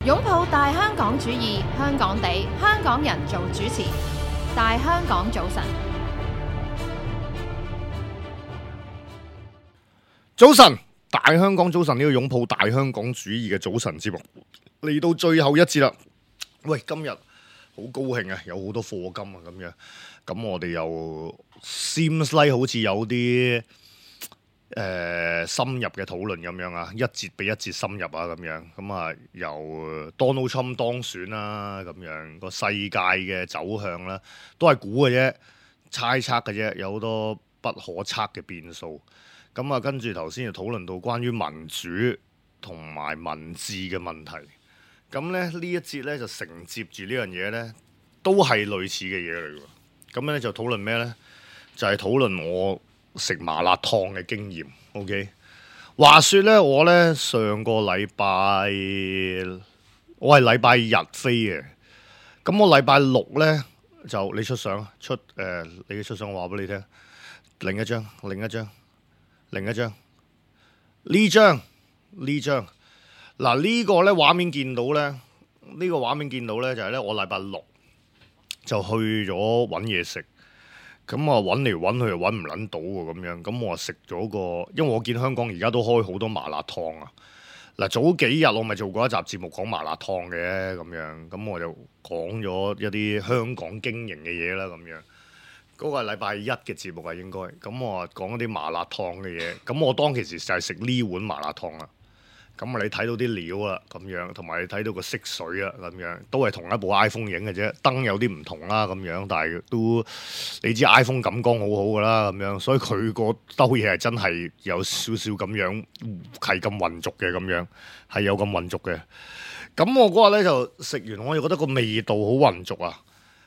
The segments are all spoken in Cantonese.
擁抱大香港主義，香港地，香港人做主持。大香港早晨，早晨，大香港早晨，呢個擁抱大香港主義嘅早晨節目嚟到最後一節啦。喂，今日好高興啊，有好多課金啊，咁樣，咁我哋又 seems like 好似有啲深入嘅討論咁樣啊，一節比一節深入啊，咁樣，咁啊由 Donald Trump 當選啦，咁樣個世界嘅走向啦，都係估嘅啫，猜測嘅啫，有好多不可測嘅變數。咁啊，跟住頭先就討論到關於民主同埋民治嘅問題。咁咧呢一節咧就承接住呢樣嘢咧，都係類似嘅嘢嚟㗎。咁咧就討論咩咧？就係討論我食麻辣燙嘅經驗。OK， 話說咧，我咧上個禮拜我係禮拜日飛嘅。咁我禮拜六咧就你出相你嘅出相，我話俾你聽。另一張。呢張嗱，呢個咧畫面見到咧，就係咧我禮拜六就去咗揾嘢食，咁啊揾嚟揾去又揾唔撚到喎，咁樣，咁我食咗個，因為我見香港而家都開好多麻辣燙啊。嗱，早幾日我咪做過一集節目講麻辣燙嘅，咁樣，咁我就講咗一啲香港經營嘅嘢啦，咁樣。嗰個係禮拜一嘅節目啊，應該咁我講一啲麻辣燙嘅嘢，咁我當其時就係食呢碗麻辣燙啦。咁啊，你睇到啲料啦，咁樣，同埋你睇到個色水啊，咁樣，都係同一部 iPhone 影嘅啫，燈有啲唔同啦，咁樣，但係都你知 iPhone 感光好好噶啦，咁樣，所以佢個兜嘢係真係有少少咁樣，係咁混濁嘅，咁樣係有咁混濁嘅。咁我嗰日咧就食完，我就覺得個味道好混濁啊。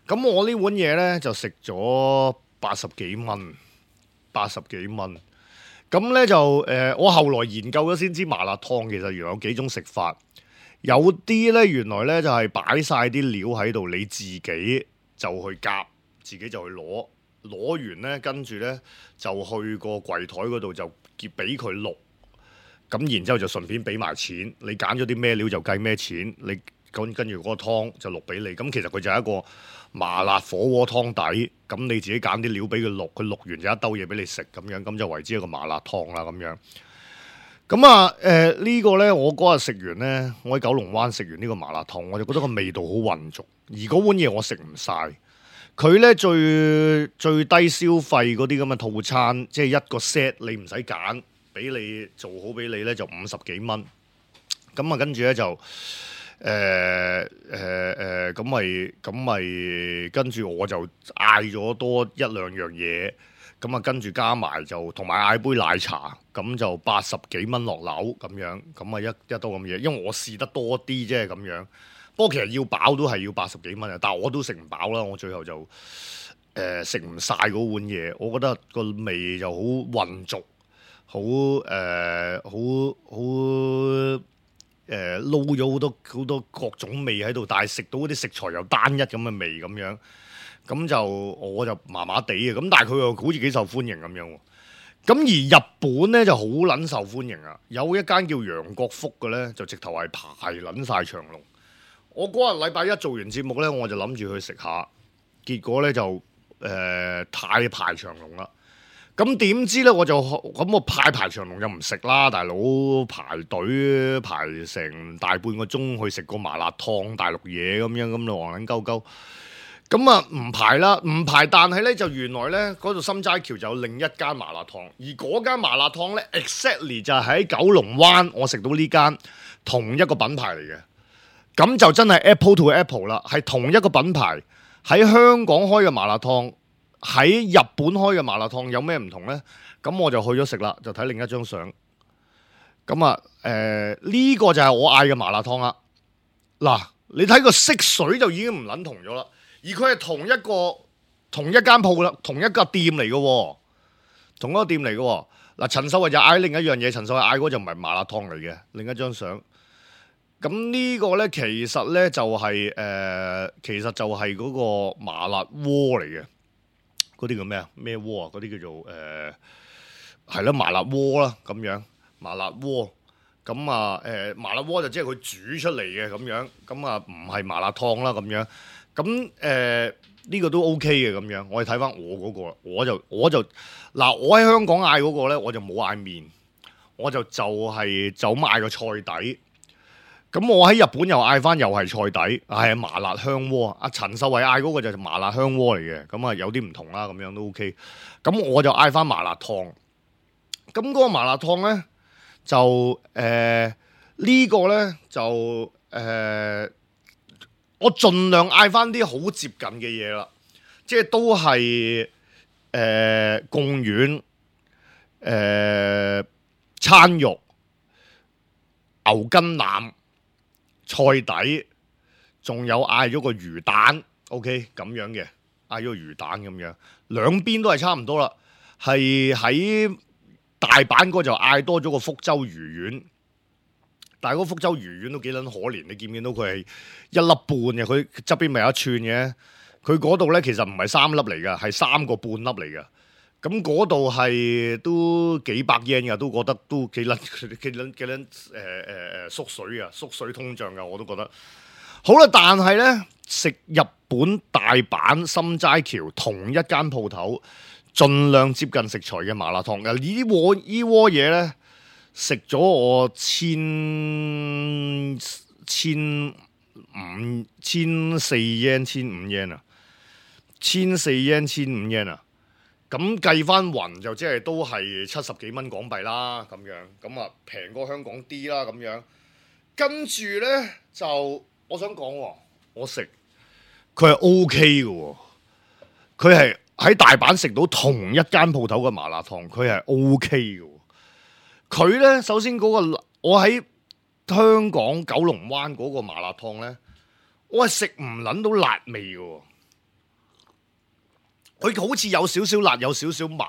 咁我呢碗嘢咧就食咗80幾蚊。咁咧就我後來研究咗先知麻辣燙其實原來有幾種食法，有啲咧原來咧就係擺晒啲料喺度，你自己就去夾，自己就去攞完咧，跟住咧就去個櫃台嗰度就俾佢淥，咁然之後就順便俾埋錢，你揀咗啲咩料就計咩錢，你跟住嗰個湯就淥俾你，咁其實佢就係一個麻辣火鍋湯底，咁你自己揀啲料俾佢淥，佢淥完就一兜嘢俾你食，咁樣咁就為之一個麻辣燙啦，咁樣。咁啊呢個呢，我嗰日食完呢，我喺九龍灣食完呢個麻辣燙，我就覺得個味道好混濁，而嗰碗嘢我食唔晒。佢呢最低消費嗰啲咁嘅套餐，即係一個 set 你唔使揀，俾你做好俾你呢，就50幾蚊。咁啊跟住呢，就咁咪跟住我就嗌咗多一兩樣嘢，咁啊跟住加埋就同埋嗌杯奶茶，咁就80幾蚊落樓咁樣，咁啊一兜咁嘢，因為我試得多啲啫咁樣。不過其實要飽都係要80幾蚊啊，但係我都食唔飽啦，我最後就食唔晒嗰碗嘢，我覺得個味就好混濁，好撈咗好多各種味喺度，但係食到嗰啲食材又單一咁嘅味咁樣，咁就我就麻麻地嘅，咁但係佢又好似幾受歡迎咁樣喎。咁而日本咧就好撚受歡迎啊，有一間叫楊國福嘅咧，就直頭係排撚晒長龍。我嗰日禮拜一做完節目咧，我就諗住去食下，結果咧就太排長龍啦。咁點知咧我排長龍就唔食啦，大佬排隊排成大半個鐘去食個麻辣燙大陸嘢咁樣，咁就戇撚鳩鳩。咁啊唔排啦，唔排，但係咧就原來咧嗰度心齋橋就有另一間麻辣燙，而嗰間麻辣燙咧 exactly 就係喺九龍灣我食到呢間同一個品牌嚟嘅，咁就真係 Apple to Apple 啦，係同一個品牌喺香港開嘅麻辣燙。喺日本開嘅麻辣燙有咩唔同呢？咁我就去咗食啦，就睇另一張相。咁啊，呢個就係我嗌嘅麻辣燙啦。嗱，你睇個色水就已經唔撚同咗啦，而佢係同一間鋪啦，同一個店嚟嘅喎，同一個店嚟嘅喎。嗱，陳秀慧就嗌另一樣嘢，陳秀慧嗌嗰就唔係麻辣燙嚟嘅，另一張相。咁呢個呢，其實呢就係嗰個麻辣鍋嚟嘅。嗰啲叫咩啊？咩鍋啊？嗰啲叫做係啦，麻辣鍋啦咁樣，麻辣鍋。咁啊麻辣鍋就即係佢煮出嚟嘅咁樣，咁啊唔係麻辣燙啦咁樣。咁呢個都 OK 嘅咁樣。我哋睇翻我嗰個，我就嗱，我喺香港嗌嗰個咧，我就冇嗌麵，我就係咁嗌個菜底。咁我喺日本又嗌翻又係菜底，係麻辣香鍋。阿陳秀慧嗌嗰個就係麻辣香鍋嚟嘅，咁啊有啲唔同啦，咁樣都 OK。咁我就嗌翻麻辣燙。咁嗰個麻辣燙咧就呢個咧就我盡量嗌翻啲好接近嘅嘢啦，即係都係貢丸、餐肉、牛筋腩。菜底，仲有嗌咗個魚蛋 ，OK 咁樣嘅，嗌咗個魚蛋咁樣，兩邊都係差唔多啦。係喺大阪嗰就嗌多咗個福州魚丸，但係嗰個福州魚丸都幾撚可憐，你見唔見到佢係一粒半嘅？佢側邊咪有一串嘅，佢嗰度咧其實唔係三粒嚟噶，係3個半粒嚟噶。咁嗰度係都幾百 yen 噶，都覺得都幾撚縮水啊，縮水通脹噶，我都覺得。好啦，但係咧食日本大阪心齋橋同一間鋪頭，盡量接近食材嘅麻辣燙。呢鍋嘢咧食咗我千四 yen 15 yen 啊，14 yen 15 yen 啊。咁計翻勻就即係都係70幾蚊港幣啦，咁樣咁啊平過香港啲啦，咁樣跟住咧就我想講，我食佢係 OK 嘅，佢係喺大阪食到同一間鋪頭嘅麻辣燙，佢係 OK 嘅。佢咧首先嗰個我喺香港九龍灣嗰個麻辣燙咧，我係食唔撚到辣味嘅。佢好似有少少辣，有少少麻，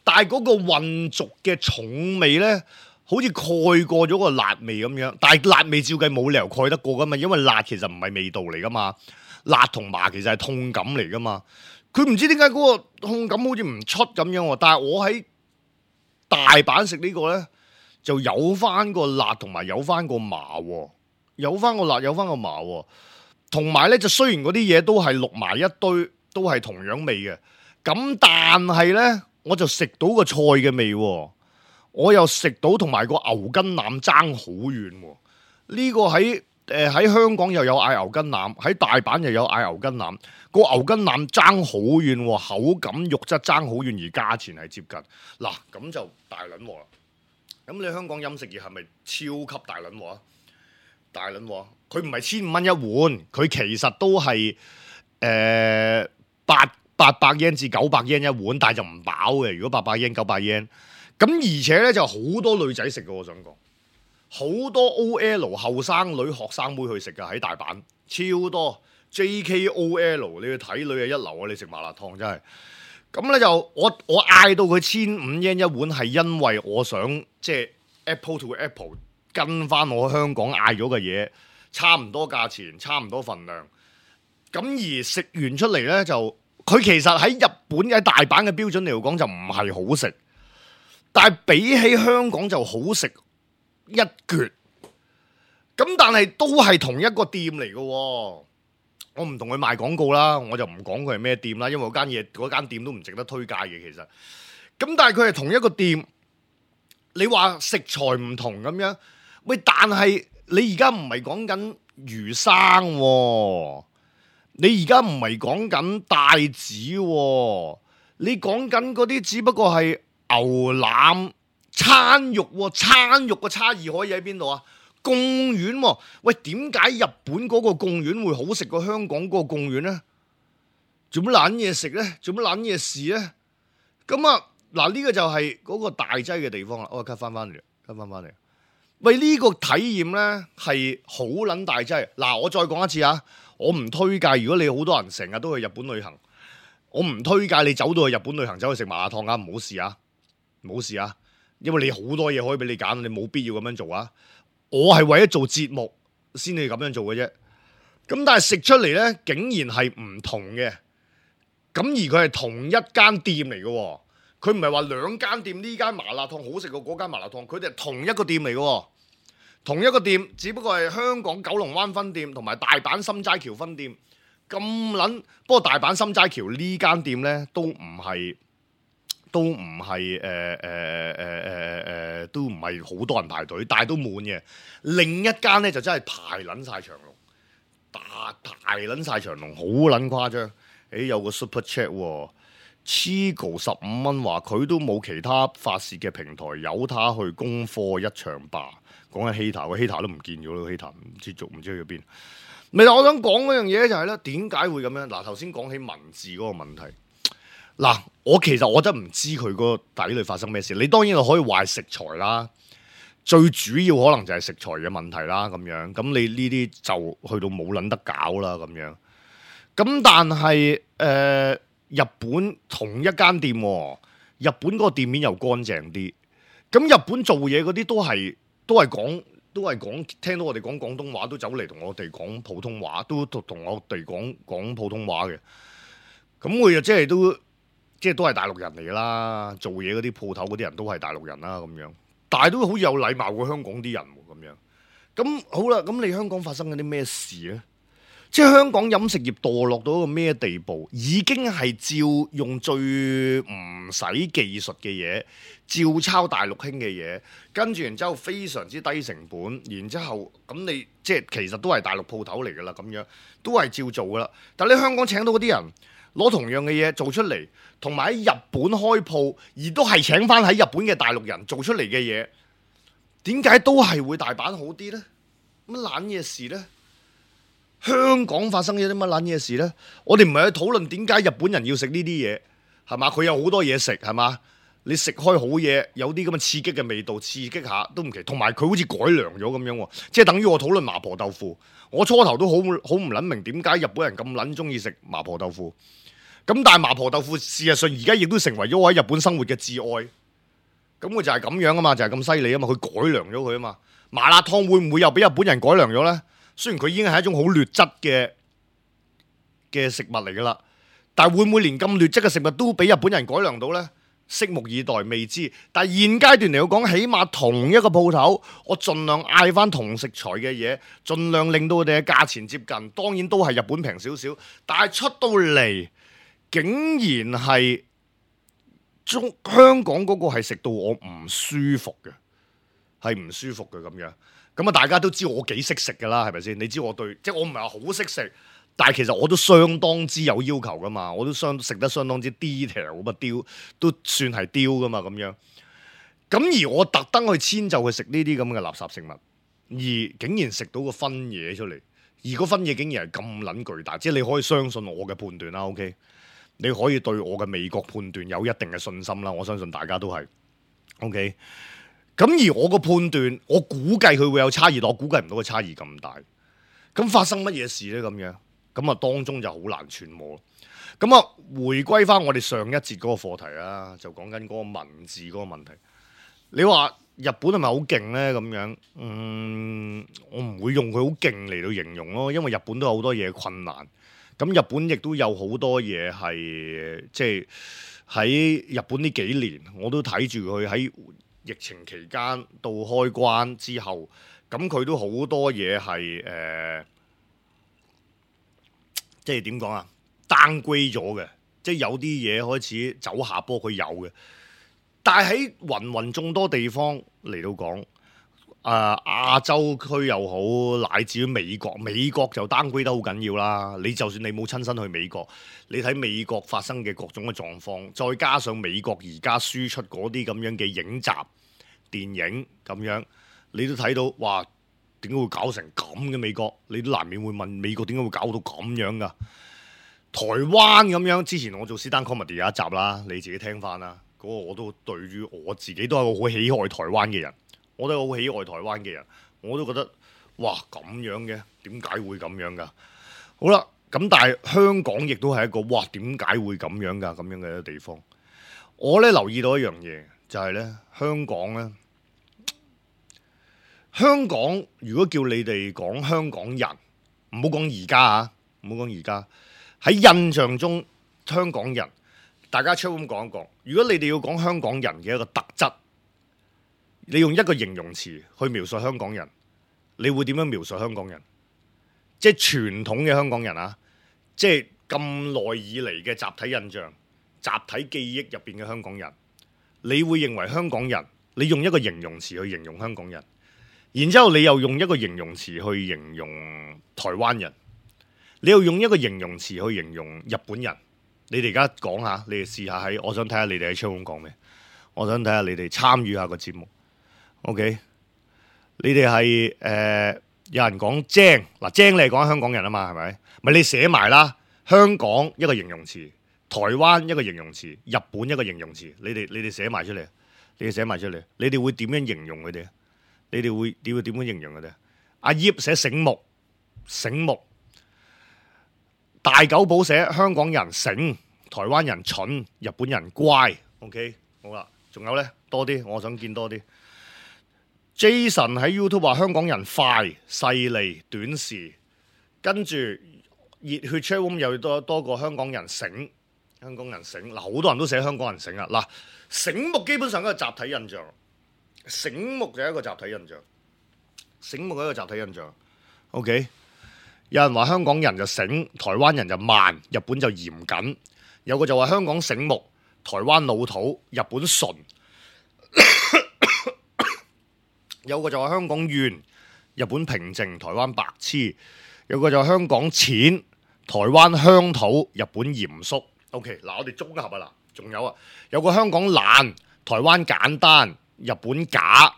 但係嗰個混濁嘅重味咧，好似蓋過咗個辣味咁樣。但係辣味照計冇理由蓋得過噶嘛，因為辣其實唔係味道嚟噶嘛，辣同麻其實係痛感嚟噶嘛。佢唔知點解嗰個痛感好似唔出咁樣喎。但係我喺大阪食呢個咧，就有翻個辣同埋有翻個麻喎，有翻個辣有翻個麻喎。同埋咧就雖然嗰啲嘢都係淥埋一堆，都係同樣味嘅，咁但係咧，我就食到個菜嘅味，我又食到同埋個牛筋腩爭好遠。呢個喺香港又有嗌牛筋腩，喺大阪又有嗌牛筋腩，個牛筋腩爭好遠，口感肉質爭好遠，而價錢係接近。嗱，咁就大撚鑊啦。咁你香港飲食業係咪超級大撚鑊啊？大撚鑊，佢唔係1500蚊一碗，佢其實都係800 yen 至900 yen 一碗，但係就唔飽嘅。如果800 yen 900 yen， 咁而且咧就好多女仔食嘅，我想講好多 OL 後生女學生妹去食嘅，喺大阪超多 JKOL， 你去睇女係一流啊！你食麻辣燙真係咁咧，就我嗌到佢1500 yen 一碗，係因為我想即係 Apple to Apple 跟翻我香港嗌咗嘅嘢，差唔多價錢，差唔多份量。咁而食完出嚟咧，就佢其實喺日本喺大阪嘅標準嚟講就唔係好食，但係比起香港就好食一橛。咁但係都係同一個店嚟嘅，我唔同佢賣廣告啦，我就唔講佢係咩店啦，因為嗰間店都唔值得推介嘅其實。咁但係佢係同一個店，你話食材唔同咁樣，喂，但係你而家唔係講緊魚生喎。你而家唔係講緊帶子喎，你講緊嗰啲只不過係牛腩餐肉喎，餐肉嘅差異可以喺邊度啊？貢丸喎，喂，點解日本嗰個貢丸會好食過香港嗰個貢丸呢？做乜撚嘢食呢？做乜撚嘢事呢？咁啊，嗱，呢個就係嗰個大劑嘅地方啦。我 cut 翻嚟，喂，呢個體驗呢係好撚大劑。嗱，我再講一次啊！我唔推介，如果你好多人成日都去日本旅行，我唔推介你走到去日本旅行走去食麻辣燙啊！唔好試啊，唔好試啊！因為你好多嘢可以俾你揀，你冇必要咁樣做啊！我係為咗做節目先至咁樣做嘅啫。咁但係食出嚟呢，竟然係唔同嘅。咁而佢係同一間店嚟嘅，佢唔係話兩間店，呢間麻辣燙好食過嗰間麻辣燙，佢哋係同一個店嚟嘅。同一個店，只不過係香港九龍灣分店同埋大阪心齋橋分店咁撚。不過大阪心齋橋呢間店呢，都唔係都唔係好多人排隊，但係都滿嘅。另一間呢，就真係排撚晒長龍，排撚晒長龍，好撚誇張。有個 super chat 喎，Chigo 15蚊話佢都冇其他發泄嘅平台，由他去攻貨一場吧。講緊 hater，個 hater 都唔見咗咯 ，hater 唔知去咗邊。咪我想講嗰樣嘢就係咧，點解會咁樣？嗱，頭先講起文字嗰個問題，嗱，其實我真唔知佢個底裏發生咩事。你當然可以話食材啦，最主要可能就係食材嘅問題啦，咁樣。咁你呢啲就去到冇撚得搞啦，咁樣。咁但係日本同一間店，日本嗰個店面又乾淨啲。咁日本做嘢嗰啲都係講，聽到我哋講廣東話都走嚟同我哋講普通話，都同我哋講普通話嘅。咁佢又即係都係大陸人嚟㗎啦，做嘢嗰啲鋪頭嗰啲人都係大陸人啦，咁樣。但係都好似有禮貌過香港啲人喎，咁樣。咁好啦，咁你香港發生緊啲咩事咧？即係香港飲食業墮落到一個咩地步？已經係照用最唔使技術嘅嘢，照抄大陸興嘅嘢，跟住然之後非常之低成本，然之後咁你即係其實都係大陸鋪頭嚟㗎啦，咁樣都係照做㗎啦。但係你香港請到嗰啲人攞同樣嘅嘢做出嚟，同埋喺日本開鋪，而都係請翻喺日本嘅大陸人做出嚟嘅嘢，點解都係會大阪好啲呢？乜撚嘢事呢？香港發生咗啲乜撚嘢事呢？我哋唔係去討論點解日本人要食呢啲嘢，係嘛？佢有好多嘢食，係嘛？你食開好嘢，有啲咁嘅刺激嘅味道，刺激下都唔奇。同埋佢好似改良咗咁樣喎，即係等於我討論麻婆豆腐。我初頭都好唔撚明點解日本人咁撚中意食麻婆豆腐。咁但係麻婆豆腐事實上而家亦都成為咗我喺日本生活嘅摯愛。咁佢就係咁樣啊嘛，就係咁犀利啊嘛，佢改良咗佢啊嘛。麻辣燙會唔會又俾日本人改良咗呢？雖然佢已經係一種好劣質嘅食物嚟㗎啦，但係會唔會連咁劣質嘅食物都俾日本人改良到呢？拭目以待，未知。但係現階段嚟講，起碼同一個鋪頭，我盡量嗌翻同食材嘅嘢，盡量令到佢哋嘅價錢接近。當然都係日本平少少，但係出到嚟竟然係香港嗰個係食到我唔舒服嘅，係唔舒服嘅咁樣。咁啊，大家都知我幾識食㗎啦，係咪先？你知我對，即係我唔係話好識食，但係其實我都相當之有要求㗎嘛，我都食得相當之 detail 咁啊，雕都算係雕㗎嘛咁樣。咁而我特登去遷就去食呢啲咁嘅垃圾食物，而竟然食到個分嘢出嚟，而個分嘢竟然係咁撚巨大，即係你可以相信我嘅判斷啦。OK，你可以對我嘅味覺判斷有一定嘅信心啦。我相信大家都係 OK。咁而我個判斷，我估計佢會有差異，但我估計唔到個差異咁大。咁發生乜嘢事呢？咁樣咁啊，當中就好難揣摩。咁啊，回歸翻我哋上一節嗰個課題啦，就講緊嗰個文字嗰個問題。你話日本係咪好勁呢？咁樣，我唔會用佢好勁嚟到形容咯，因為日本都有好多嘢困難。咁日本亦都有好多嘢係即係喺日本呢幾年，我都睇住佢喺疫情期間到開關之後，咁佢都好多嘢係即係點講啊？downgrade咗嘅，即係有啲嘢開始走下坡，佢有嘅。但係喺芸芸眾多地方嚟到講，亞洲區又好，乃至於美國就 downgrade 得好緊要啦。你就算你冇親身去美國，你睇美國發生嘅各種嘅狀況，再加上美國而家輸出嗰啲咁樣嘅影集、電影咁樣，你都睇到，哇！點解會搞成咁嘅美國？你都難免會問美國點解會搞到咁樣噶？台灣咁樣，之前我做 stand comedy 有一集啦，你自己聽翻啦。嗰個我都對於我自己都係個好喜愛台灣嘅人，我都係好喜愛台灣嘅人，我都覺得哇咁樣嘅，點解會咁樣噶？好啦，咁但係香港亦都係一個哇點解會咁樣噶咁樣嘅一個地方。我咧留意到一樣嘢，就係咧香港咧。香港如果叫你哋講香港人，唔好講而家啊，唔好講而家。喺印象中，香港人，大家出咁講一講。如果你哋要講香港人嘅一個特質，你用一個形容詞去描述香港人，你會點樣描述香港人？即係傳統嘅香港人啊，即係咁耐以嚟嘅集體印象、集體記憶入邊嘅香港人，你會認為香港人？你用一個形容詞去形容香港人，然之後你又用一個形容詞去形容台灣人，你又用一個形容詞去形容日本人。你哋而家講下，你哋試下喺，我想睇下你哋喺窗講咩，我想睇下你哋參與下個節目。OK， 你哋係有人講精嗱，精你係講香港人啊嘛，係咪？咪你寫埋啦，香港一個形容詞，台灣一個形容詞，日本一個形容詞，你哋寫埋出嚟，你哋寫埋出嚟，你哋會點樣形容佢哋？你哋會點樣形容佢哋？阿葉寫醒目，醒目。大久保寫香港人醒，台灣人蠢，日本人乖。OK， 好啦，仲有呢？多啲，我想見多啲。Jason 喺 YouTube 話香港人快、勢利、短視，跟住熱血 chat room 又多過香港人醒，香港人醒嗱，好多人都寫香港人醒啊嗱，醒目基本上係一個集體印象，醒目就係一個集體印象，醒目係一個集體印象。OK， 有人話香港人就醒，台灣人就慢，日本就嚴謹，有個就話香港醒目，台灣老土，日本純。有個就話香港怨，日本平靜，台灣白痴；有個就話香港淺，台灣鄉土，日本嚴肅。OK， 嗱我哋綜合啊嗱，仲有啊，有個香港懶，台灣簡單，日本假。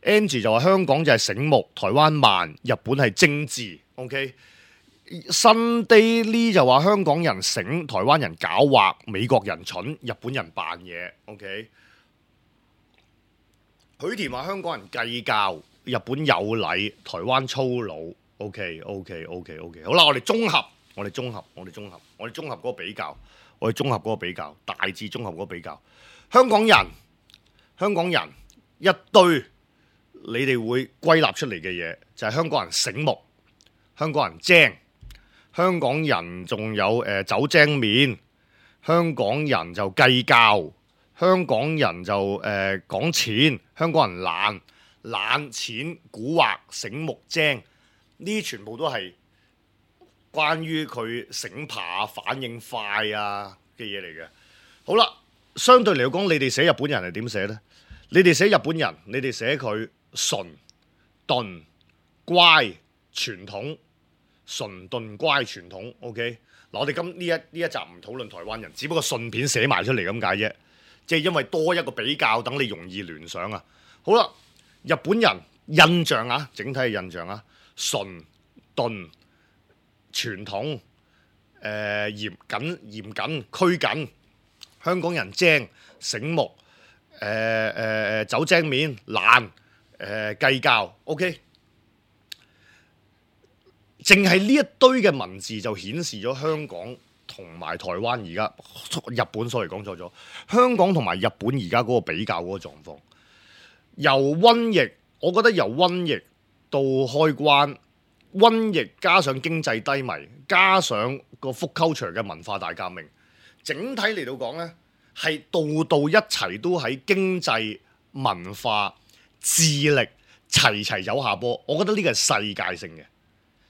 Angie 就話香港就係醒目，台灣慢，日本係精緻。OK，Sunday Lee 就話香港人醒，台灣人狡猾，美國人蠢，日本人扮嘢。OK。許田話香港人計較，日本有禮，台灣粗魯。OK， 好啦，我哋綜合嗰個比較，大致綜合嗰個比較。香港人一堆，你哋會歸納出嚟嘅嘢就係香港人醒目，香港人精，香港人仲有走精面，香港人就計較。香港人就講錢，香港人懶、淺、蠱惑、醒目、精，呢啲全部都係關於佢醒爬、反應快啊嘅嘢嚟嘅。好啦，相對嚟講，你哋寫日本人係點寫呢？你哋寫日本人，你哋寫佢純、鈍、乖、傳統，純、鈍、乖、傳統。OK， 嗱，我哋呢一集唔討論台灣人，只不過順便寫埋出嚟咁解啫。即係因為多一個比較，等你容易聯想啊！好啦，日本人印象啊，整體嘅印象啊，純、鈍、傳統、嚴謹、拘謹。香港人精、醒目、走精面、懶、計較。OK， 淨係呢一堆嘅文字就顯示咗香港同埋台灣而家日本，sorry講錯咗，香港同埋日本而家嗰個比較嗰個狀況，由瘟疫，我覺得由瘟疫到開關，瘟疫加上經濟低迷，加上個 food culture 嘅文化大革命，整體嚟到講呢，係度度一齊都喺經濟文化智力齊走下坡。我覺得呢個係世界性嘅，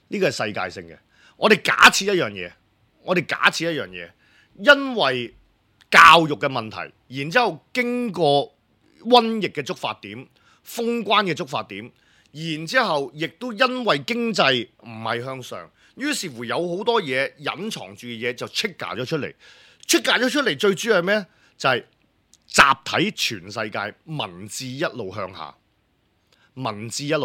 呢個係世界性嘅。我哋假設一樣嘢。因為教育嘅問題，然之後經過瘟疫嘅觸發點、封關嘅觸發點，然之後亦都因為經濟唔係向上，於是乎有好多嘢隱藏住嘅嘢就 trigger 咗出嚟。trigger 咗出嚟最主要係咩？就係集體全世界文字一路向下，而文字向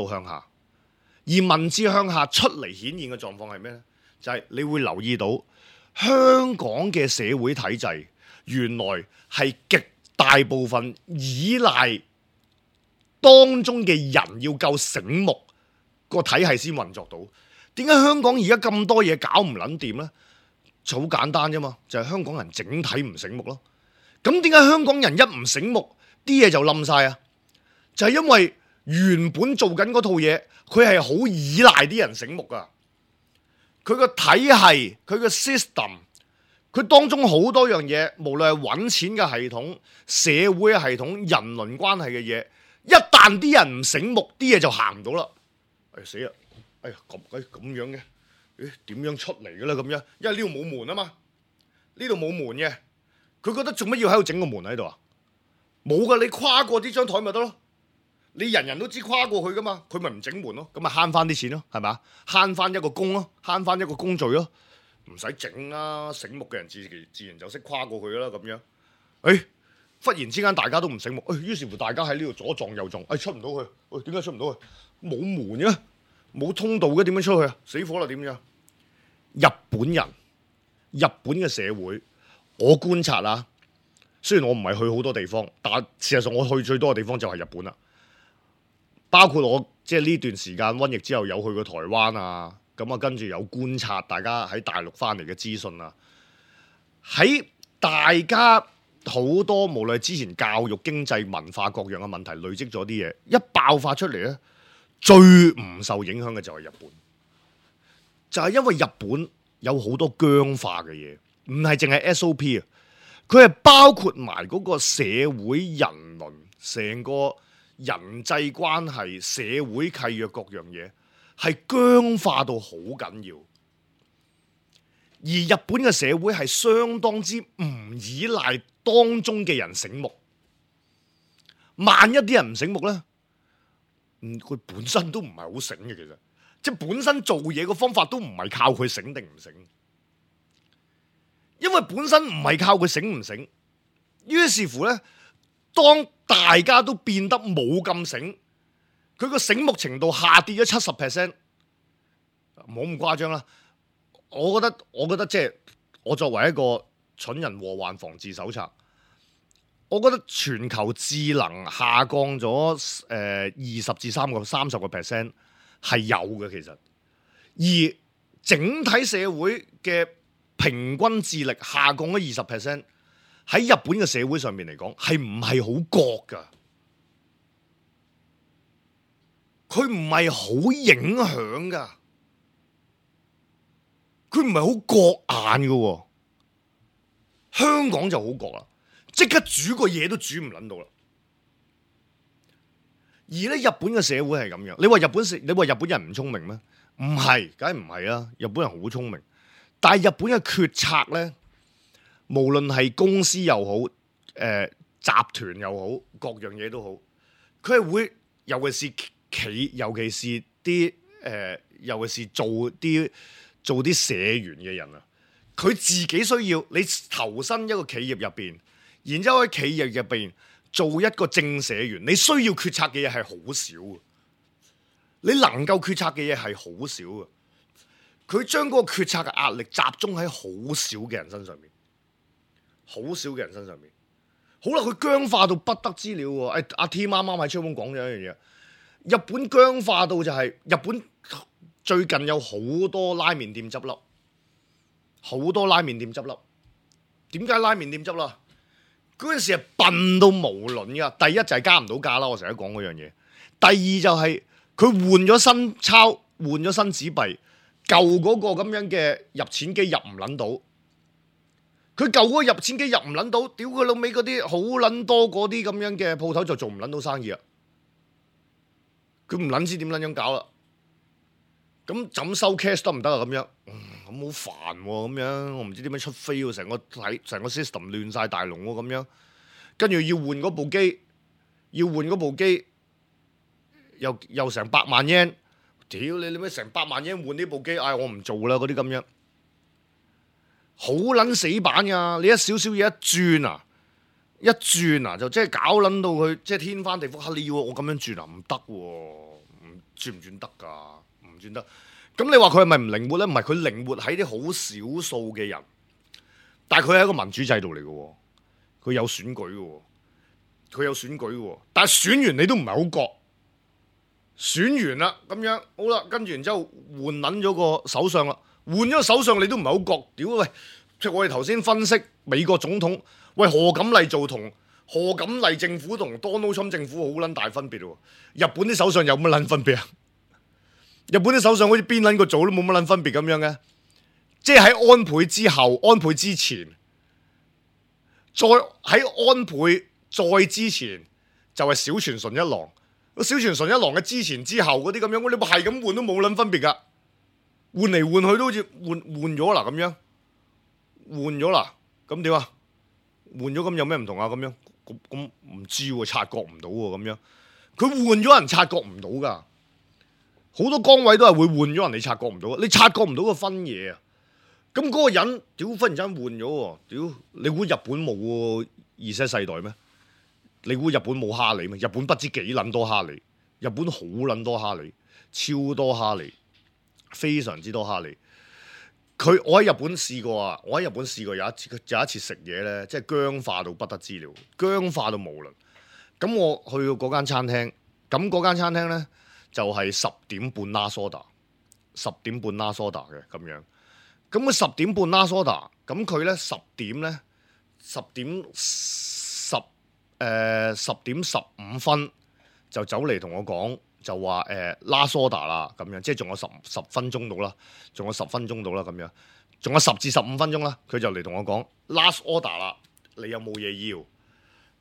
下出嚟顯現嘅狀況係咩呢？就係你會留意到。香港嘅社會體制原來係極大部分依賴當中嘅人要夠醒目，個體系先運作到。點解香港而家咁多嘢搞唔撚掂呢？就好簡單啫嘛，就係香港人整體唔醒目咯。咁點解香港人一唔醒目，啲嘢就冧晒啊？就係因為原本做緊嗰套嘢，佢係好依賴啲人醒目噶。佢個體系，佢個 system， 佢當中好多樣嘢，無論係揾錢嘅系統、社會嘅系統、人倫關係嘅嘢，一旦啲人唔醒目，啲嘢就行唔到啦。死啦！咁樣嘅，點樣出嚟嘅咧？咁樣，因為呢度冇門啊嘛，呢度冇門嘅，佢覺得做乜要喺度整個門喺度啊？冇噶，你跨過呢張台咪得咯。你人人都知跨過去噶嘛，佢咪唔整門咯，咁咪慳翻啲錢咯，係咪？慳翻一個工咯，慳翻一個工序咯，唔使整啦。醒目嘅人自然就識跨過去啦，咁樣。忽然之間大家都唔醒目，於是乎大家喺呢度左撞右撞，出唔到去，點解出唔到去？冇門嘅，冇通道嘅，點樣出去啊？死火啦，點樣？日本嘅社會，我觀察啊，雖然我唔係去好多地方，但事實上我去最多嘅地方就係日本啦。包括我即係呢段時間瘟疫之後有去過台灣啊，咁啊跟住有觀察大家喺大陸翻嚟嘅資訊啊，喺大家好多無論係之前教育、經濟、文化各樣嘅問題累積咗啲嘢，一爆發出嚟咧，最唔受影響嘅就係日本，就係因為日本有好多僵化嘅嘢，唔係淨係 SOP 啊，佢係包括埋嗰個社會人倫，成個人際關係、社會契約各樣嘢係僵化到好緊要，而日本嘅社會係相當之唔依賴當中嘅人醒目。萬一啲人唔醒目呢，佢本身都唔係好醒嘅，其實即係本身做嘢嘅方法都唔係靠佢醒定唔醒，因為本身唔係靠佢醒唔醒，於是乎呢，當大家都變得冇咁醒，佢個醒目程度下跌咗70%，冇咁誇張啦。我覺得即係我作為一個蠢人禍患防治手冊，我覺得全球智能下降咗20至30% 係有嘅，其實，而整體社會嘅平均智力下降咗20%。喺日本嘅社會上面嚟講，係唔係好覺噶？佢唔係好影響噶，佢唔係好覺眼噶。香港就好覺啦，即刻煮個嘢都煮唔撚到啦。而咧日本嘅社會係咁樣，你話日本人唔聰明咩？唔係，梗係唔係啦。日本人好聰明，但係日本嘅決策咧，無論係公司又好，集團又好，各樣嘢都好，佢係會，尤其是做啲社員嘅人啊，佢自己需要你投身一個企業入邊，然之後喺企業入邊做一個正社員，你需要決策嘅嘢係好少嘅，你能夠決策嘅嘢係好少嘅，佢將嗰個決策嘅壓力集中喺好少嘅人身上面。好少嘅人身上面，好啦，佢僵化到不得之了喎。阿 T 啱啱喺窗門講咗一樣嘢，日本僵化到就係日本最近有好多拉麵店執笠，好多拉麵店執笠。點解拉麵店執笠？嗰陣時係笨到無倫噶。第一就係加唔到價啦，我成日講嗰樣嘢。第二就係佢換咗新鈔，換咗新紙幣，舊嗰個咁樣嘅入錢機入唔撚到。佢舊嗰個入錢機入唔撚到，屌佢老味嗰啲好撚多嗰啲咁樣嘅鋪頭就做唔撚到生意啊！佢唔撚知點撚樣搞啦。咁怎收 cash 得唔得啊？咁樣，咁好煩喎，咁樣我唔知點樣出飛喎，成個 system 亂晒大龍喎，咁樣跟住要換嗰部機，又成100萬 yen， 屌你咩成100萬 yen換呢部機？我唔做啦，嗰啲咁樣。好撚死板噶，你一少少嘢一轉啊，就即係搞撚到佢即係天翻地覆。你要我咁樣轉啊？唔得喎，轉唔轉得㗎？唔轉得。咁你話佢係咪唔靈活咧？唔係，佢靈活喺啲好少數嘅人，但係佢係一個民主制度嚟嘅，佢有選舉嘅，但係選完你都唔係好覺，選完啦咁樣好啦，跟住然之後換撚咗個首相啦。換咗個首相你都唔係好覺，屌喂！即係我哋頭先分析美國總統，喂何錦麗做同何錦麗政府同 Donald Trump 政府好撚大分別喎。日本啲首相有乜撚分別啊？日本啲首相好似邊撚個做都冇乜撚分別咁樣嘅，即係喺安倍之後、安倍之前，再喺安倍再之前就係小泉純一郎，小泉純一郎嘅之前之後嗰啲咁樣，你係咁換都冇撚分別㗎，換嚟換去都好似換咗啦咁樣，換咗啦，咁點啊？換咗咁有咩唔同啊？咁樣咁唔知喎，察覺唔到喎咁樣。佢換咗人察覺唔到㗎，好多崗位都係會換咗人，你察覺唔到，你察覺唔到個分野啊！咁嗰個人，屌忽然間換咗喎，屌你估日本冇Z世代咩？你估日本冇哈利咩？日本不知幾撚多哈利，日本好撚多哈利，超多哈利，非常之多哈利。我喺日本試過啊！我喺日本試過有一次食嘢咧，即係僵化到不得之了，僵化到無倫。咁我去到嗰間餐廳，咁嗰間餐廳咧就係10點半拉蘇打，10點半拉蘇打嘅咁樣。咁佢10點半拉蘇打，咁佢咧10點15分就走嚟同我講，就話拉蘇打啦咁樣，即係仲有十分鐘到啦，仲有10分鐘到啦咁樣，仲有10至15分鐘啦，佢就嚟同我講 last order 啦，你有冇嘢要？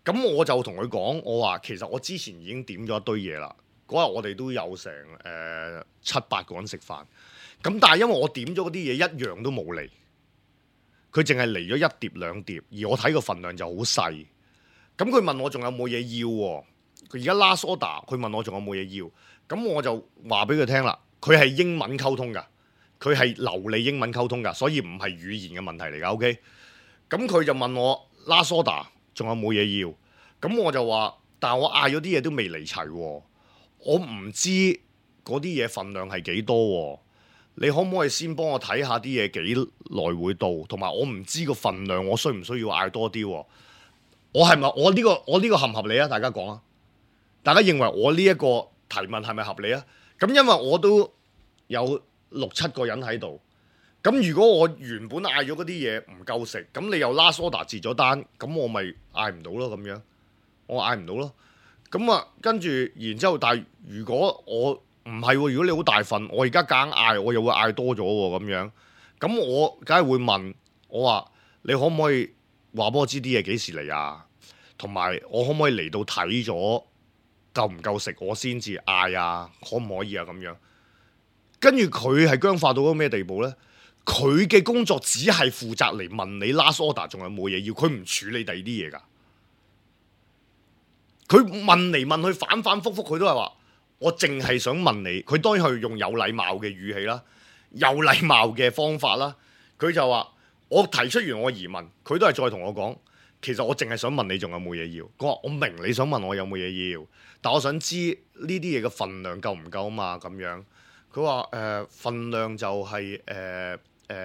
咁我就同佢講，我話其實我之前已經點咗一堆嘢啦，嗰日我哋都有成7-8個人食飯，咁但係因為我點咗嗰啲嘢一樣都冇嚟，佢淨係嚟咗1碟2碟，而我睇個份量就好細。咁佢問我仲有冇嘢要喎？佢而家 last order，佢問我仲有冇嘢要？咁我就話俾佢聽啦，佢係英文溝通㗎，佢係流利英文溝通㗎，所以唔係語言嘅問題嚟㗎。OK，咁佢就問我 last order 仲有冇嘢要？咁我就話，但係我嗌咗啲嘢都未嚟齊喎，我唔知嗰啲嘢份量係幾多喎。你可唔可以先幫我睇下啲嘢幾耐會到？同埋我唔知個份量，我需唔需要嗌多啲喎？我係咪我呢個合唔合理啊？大家講啊！大家認為我呢一個提問係咪合理啊？咁因為我都有6-7個人喺度，咁如果我原本嗌咗嗰啲嘢唔夠食，咁你又 last order 截咗單，咁我咪嗌唔到咯咁樣，我嗌唔到咯。咁啊，跟住然之後，但係如果我唔係喎，如果你好大份，我而家夾硬嗌，我又會嗌多咗喎咁樣，咁我梗係會問我話你可唔可以話俾我知啲嘢幾時嚟啊？同埋我可唔可以嚟到睇咗夠唔夠食，我先至嗌啊？可唔可以啊？咁樣跟住佢係僵化到個咩地步呢？佢嘅工作只係負責嚟問你 last order 仲有冇嘢要，佢唔處理第二啲嘢㗎。佢問嚟問去反反覆覆，佢都係話我淨係想問你。佢當然係用有禮貌嘅語氣啦，有禮貌嘅方法啦。佢就話我提出完我疑問，佢都係再同我講，其實我淨係想問你仲有冇嘢要。佢話我明你想問我有冇嘢要，但我想知呢啲嘢嘅份量夠唔夠啊嘛咁樣。佢話份量就係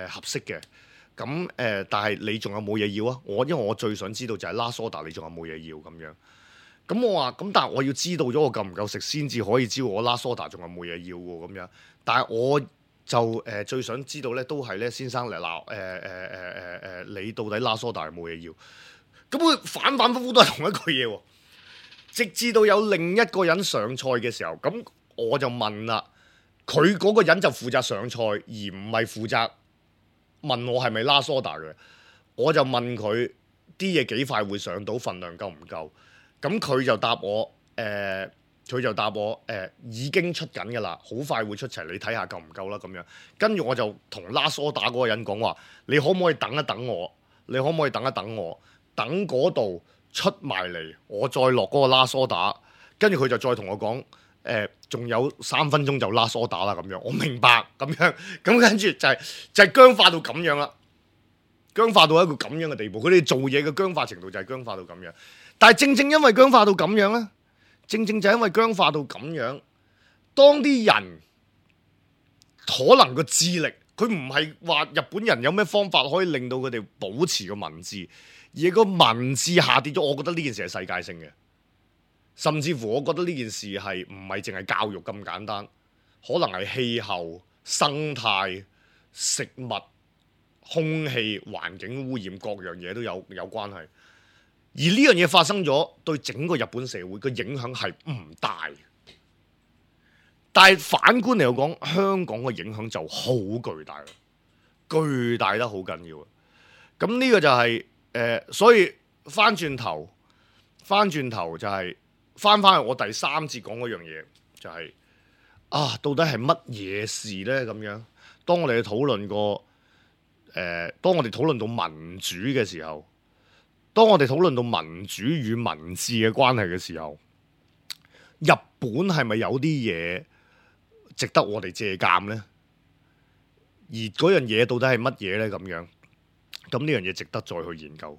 合適嘅。咁但係你仲有冇嘢要啊？因為我最想知道就係 last order 你仲有冇嘢要咁樣。咁我話咁，但係我要知道咗我夠唔夠食先至可以知道我 last order 仲有冇嘢要喎咁樣。但係我就最想知道咧，都係咧先生嚟鬧你到底 last order 有冇嘢要？咁佢反反覆覆都係同一句嘢喎。直至到有另一個人上菜嘅時候，咁我就問啦，佢嗰個人就負責上菜，而唔係負責問我係咪 last order 嘅。我就問佢啲嘢幾快會上到，份量夠唔夠？咁佢就答我已經出緊㗎啦，好快會出齊，你睇下夠唔夠啦咁樣。跟住我就同 last order 嗰個人講話，你可唔可以等一等我？你可唔可以等一等我？等嗰度出埋嚟，我再落嗰個 last order。跟住佢就再同我講，仲有3分鐘就 last order啦咁樣。我明白咁樣，咁跟住就係僵化到咁樣啦，僵化到一個咁樣嘅地步。佢哋做嘢嘅僵化程度就係僵化到咁樣。但係正因為僵化到咁樣咧，正就因為僵化到咁樣，當啲人可能個智力，佢唔係話日本人有咩方法可以令到佢哋保持個文字，而個文字下跌咗。我覺得呢件事係世界性嘅，甚至乎我覺得呢件事係唔係淨係教育咁簡單，可能係氣候、生態、食物、空氣、環境污染各樣嘢都有關係。而呢樣嘢發生咗，對整個日本社會嘅影響係唔大，但係反觀嚟講，香港嘅影響就好巨大，巨大得好緊要。咁呢個就係所以翻轉頭就係翻去我第三節講嗰樣嘢，就係、到底係乜嘢事咧？咁樣，當我哋討論過當我哋討論到民主嘅時候，當我哋討論到民主與民治嘅關係嘅時候，日本係咪有啲嘢值得我哋借鑑呢？而嗰樣嘢到底係乜嘢呢？咁樣，咁呢樣嘢值得再去研究，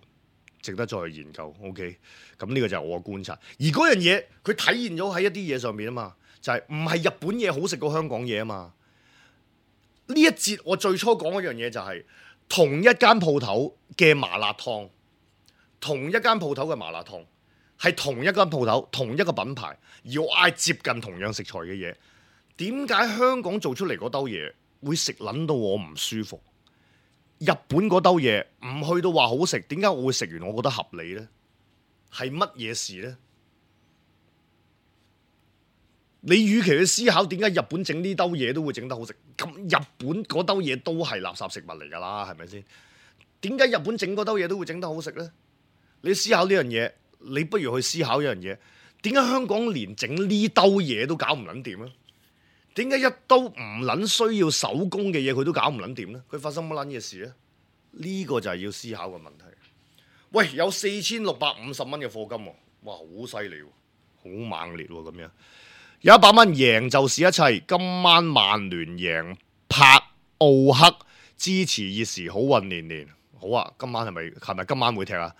值得再去研究。OK，咁呢個就係我嘅觀察。而嗰樣嘢佢體現咗喺一啲嘢上面啊嘛，就係唔係日本嘢好食過香港嘢啊嘛。呢一節我最初講嗰樣嘢就係、同一間鋪頭嘅麻辣燙，同一間鋪頭嘅麻辣燙係同一間鋪頭同一個品牌，而我嗌接近同樣食材嘅嘢，點解香港做出嚟嗰兜嘢會食撚到我唔舒服？日本嗰兜嘢唔去到話好食，點解我會食完我覺得合理呢？係乜嘢事呢？你與其去思考點解日本整呢兜嘢都會整得好食，咁日本嗰兜嘢都係垃圾食物嚟㗎啦，係咪先？點解日本整嗰兜嘢都會整得好食呢？你思考呢樣嘢，你不如去思考一樣嘢，點解香港連整呢兜嘢都搞唔撚掂咧？點解一兜唔撚需要手工嘅嘢佢都搞唔撚掂呢？佢發生乜撚嘢事呢？呢個就係要思考嘅問題。喂，有4650蚊嘅課金喎，哇，好犀利喎，好猛烈喎，咁樣有100蚊贏就是一切。今晚曼聯贏柏奧克，支持熱時好運連連。好啊，今晚係咪今晚會踢啊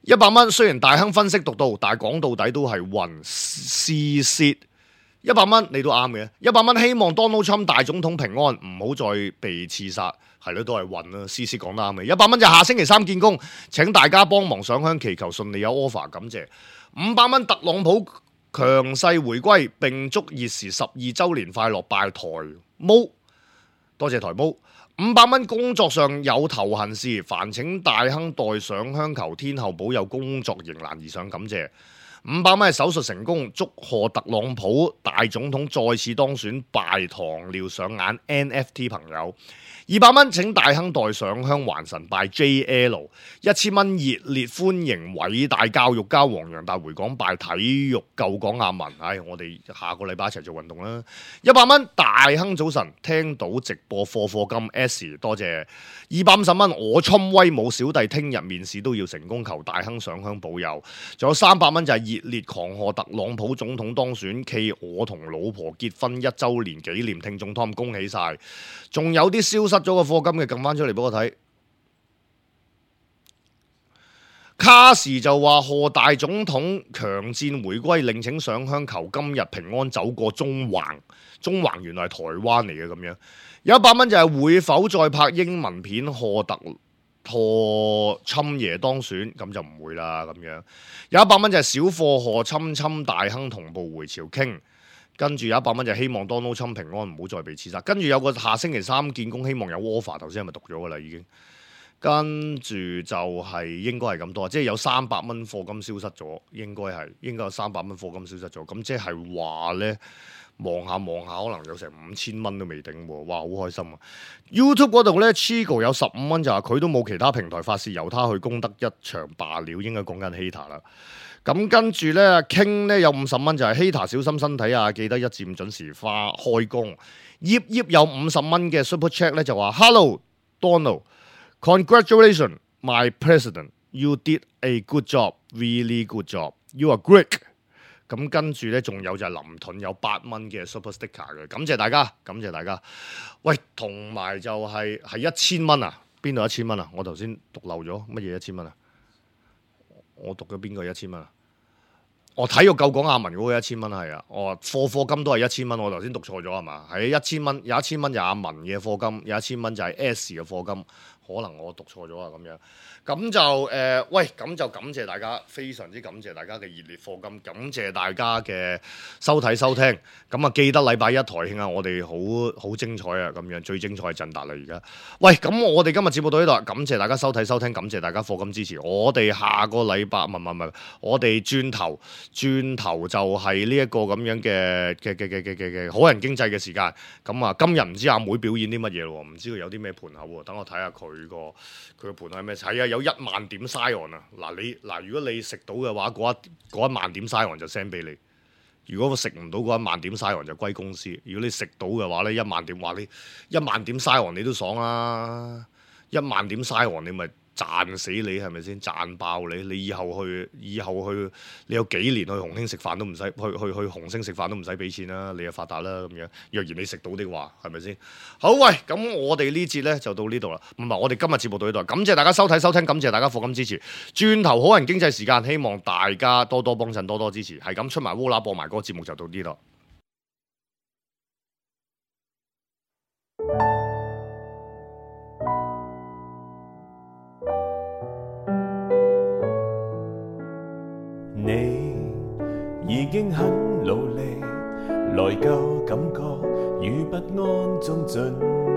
？100蚊，雖然大亨分析獨到，但係講到底都係運試蝕。100蚊你都啱嘅。100蚊希望 Donald Trump 大總統平安，唔好再被刺殺。係咯，都係運啦。試蝕講得啱嘅。100蚊就下星期3見工，請大家幫忙上香祈求順利有 offer，感謝。500蚊特朗普強勢回歸，並祝熱時12週年快樂，拜台毛，多謝台毛。500蚊工作上有頭痕事，煩請大亨代上香求天后保佑工作迎難而上，感謝。500蚊係手術成功，祝賀特朗普大總統再次當選，拜糖尿上眼 NFT 朋友。200蚊請大亨代上香還神，拜 JL。1000蚊熱烈歡迎偉大教育家黃洋達回港，拜體育救港阿文。我哋下個禮拜一齊做運動啦。100蚊大亨早晨，聽到直播課金 S， 多謝。250蚊我侵威武小弟聽日面試都要成功，求大亨上香保佑。仲有300蚊就係熱烈狂賀特朗普總統當選，暨我同老婆結婚1週年紀念，聽眾 Tom 恭喜晒。仲有啲消失咗個課金嘅，撳翻出嚟俾我睇。卡士就話賀大總統強戰回歸，另請上香求今日平安走過中環。中環原來係台灣嚟嘅咁樣。有100蚊就係會否再拍英文片賀侵爺當選，咁就唔會啦咁樣。有100蚊就係小貨賀侵大亨同步回朝傾。跟住有100蚊就希望 Donald Trump 平安，唔好再被刺殺。跟住有個下星期3見工，希望有 offer。頭先係咪讀咗㗎啦已經？跟住就係應該係咁多，即係有300蚊課金消失咗，應該有300蚊課金消失咗。咁即係話呢，望下可能有成5000蚊都未定喎。哇，好開心啊 ！YouTube 嗰度呢 Chigo 有15蚊，就話佢都冇其他平台發泄，由他去攻得一場罷了。應該講緊 Hater 啦。咁跟住咧，King 咧有50蚊，就係 Hater 小心身體啊，記得1至5準時開工。葉有50蚊嘅 Super Chat 咧，就話 Hello Donald, congratulations my president, you did a good job, really good job, you are great。咁跟住咧，仲有就係林盾有8蚊嘅 Super Sticker 嘅，感謝大家，感謝大家。喂，同埋就係1000蚊啊，邊度1000蚊啊？我頭先讀漏咗乜嘢1000蚊啊？我讀咗邊個1000蚊啊？我體育救港阿文嗰個1000蚊係啊，課金都係1000蚊，我頭先讀錯咗係嘛？係1000蚊，有1000蚊就阿文嘅課金，有1000蚊就係 S 嘅課金，可能我讀錯咗啊咁樣。咁就喂，咁就感謝大家，非常之感謝大家嘅熱烈課金，感謝大家嘅收睇收聽。咁啊，記得禮拜一台慶啊，我哋好精彩啊，咁樣最精彩係振達啦而家。喂，咁我哋今日節目到呢度，感謝大家收睇收聽，感謝大家課金支持。我哋下個禮拜唔係，我哋轉頭轉頭就係呢一個咁樣嘅好人經濟嘅時間。咁啊，今日唔知阿妹表演啲乜嘢咯，唔知佢有啲咩盤口喎。等我睇下佢個盤口係咩？係啊，有1萬點 Sion 啊！嗱，如果你食到嘅話，嗰一萬點 Sion 就 send 俾你。如果食唔到嗰1萬點 Sion 就歸公司。如果你食到嘅話咧，1萬點話你1萬點 Sion 你都爽啦，1萬點 Sion你咪賺死你係咪先？賺爆你！你以後去，你有幾年去紅星食飯都唔使去紅星食飯都唔使俾錢啦，你就發達啦咁樣。若然你食到的話，係咪先？好喂，咁我哋呢節咧就到呢度啦。唔係，我哋今日節目到呢度，感謝大家收睇收聽，感謝大家課金支持。轉頭好人經濟時間，希望大家多多幫襯，多多支持。係咁出埋烏啦播埋嗰個節目就到呢度。你已經很努力，內疚感覺與不安中盡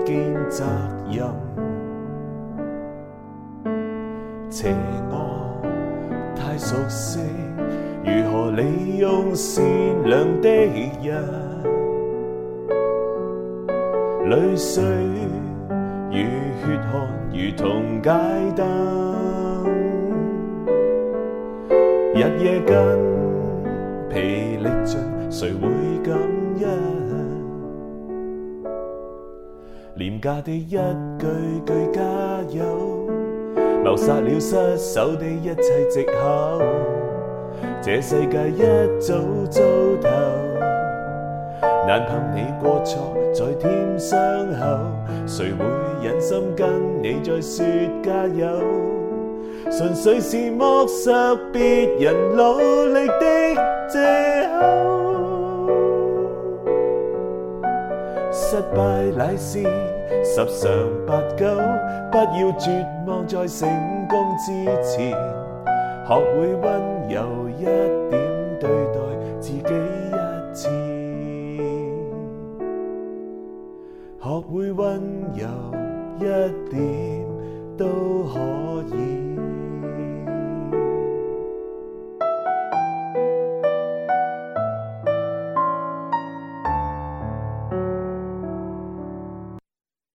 肩責任，邪惡太熟悉，如何利用善良的人，淚水與血汗如同街燈，日夜筋疲力盡，誰會感恩？廉價的一句句加油，謀殺了失手的一切藉口。這世界一早糟透，難憑你過錯再添傷口，誰會忍心跟你再說加油？純粹是剝削別人努力的藉口，失敗乃是10常8九，不要絕望在成功之前，學會溫柔一點對待自己一次，學會溫柔一點都可以。